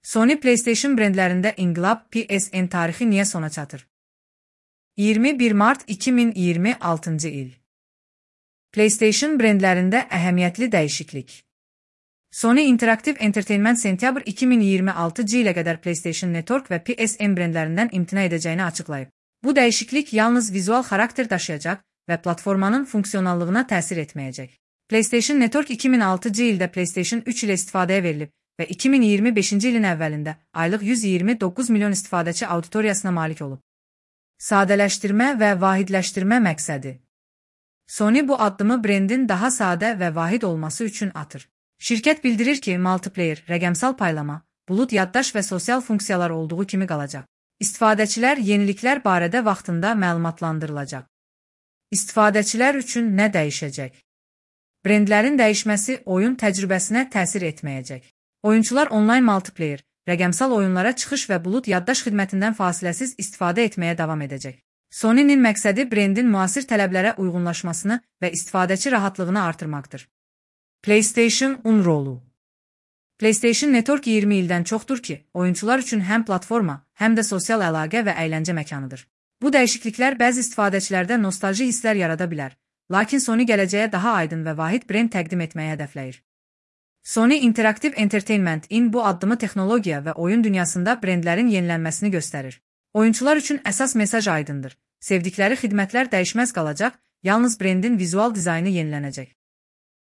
Sony PlayStation brendlərində inqilab PSN tarixi niyə sona çatır? 21 mart 2026-cı il. PlayStation brendlərində əhəmiyyətli dəyişiklik. Sony Interactive Entertainment sentyabr 2026-cı ilə qədər PlayStation Network və PSN brendlərindən imtina edəcəyini açıqlayıb. Bu dəyişiklik yalnız vizual xarakter daşıyacaq və platformanın funksionallığına təsir etməyəcək. PlayStation Network 2006-cı ildə PlayStation 3 ilə istifadəyə verilib və 2025-ci ilin əvvəlində aylıq 129 milyon istifadəçi auditoriyasına malik olub. Sadələşdirmə və vahidləşdirmə məqsədi. Sony bu addımı brendin daha sadə və vahid olması üçün atır. Şirkət bildirir ki, multiplayer, rəqəmsal paylama, bulut yaddaş və sosial funksiyalar olduğu kimi qalacaq. İstifadəçilər yeniliklər barədə vaxtında məlumatlandırılacaq. İstifadəçilər üçün nə dəyişəcək? Brendlərin dəyişməsi oyun təcrübəsinə təsir etməyəcək. Oyunçular onlayn multiplayer, rəqəmsal oyunlara çıxış və bulut yaddaş xidmətindən fasiləsiz istifadə etməyə davam edəcək. Sony'nin məqsədi brendin müasir tələblərə uyğunlaşmasını və istifadəçi rahatlığını artırmaqdır. PlayStation-un rolu. PlayStation Network 20 ildən çoxdur ki, oyunçular üçün həm platforma, həm də sosial əlaqə və əyləncə məkanıdır. Bu dəyişikliklər bəzi istifadəçilərdə nostalji hisslər yarada bilər, lakin Sony gələcəyə daha aydın və vahid brend təqdim etməyə hədəfləyir. Sony Interactive Entertainment-in bu addımı texnologiya və oyun dünyasında brendlərin yenilənməsini göstərir. Oyunçular üçün əsas mesaj aydındır. Sevdikləri xidmətlər dəyişməz qalacaq, yalnız brendin vizual dizaynı yenilənəcək.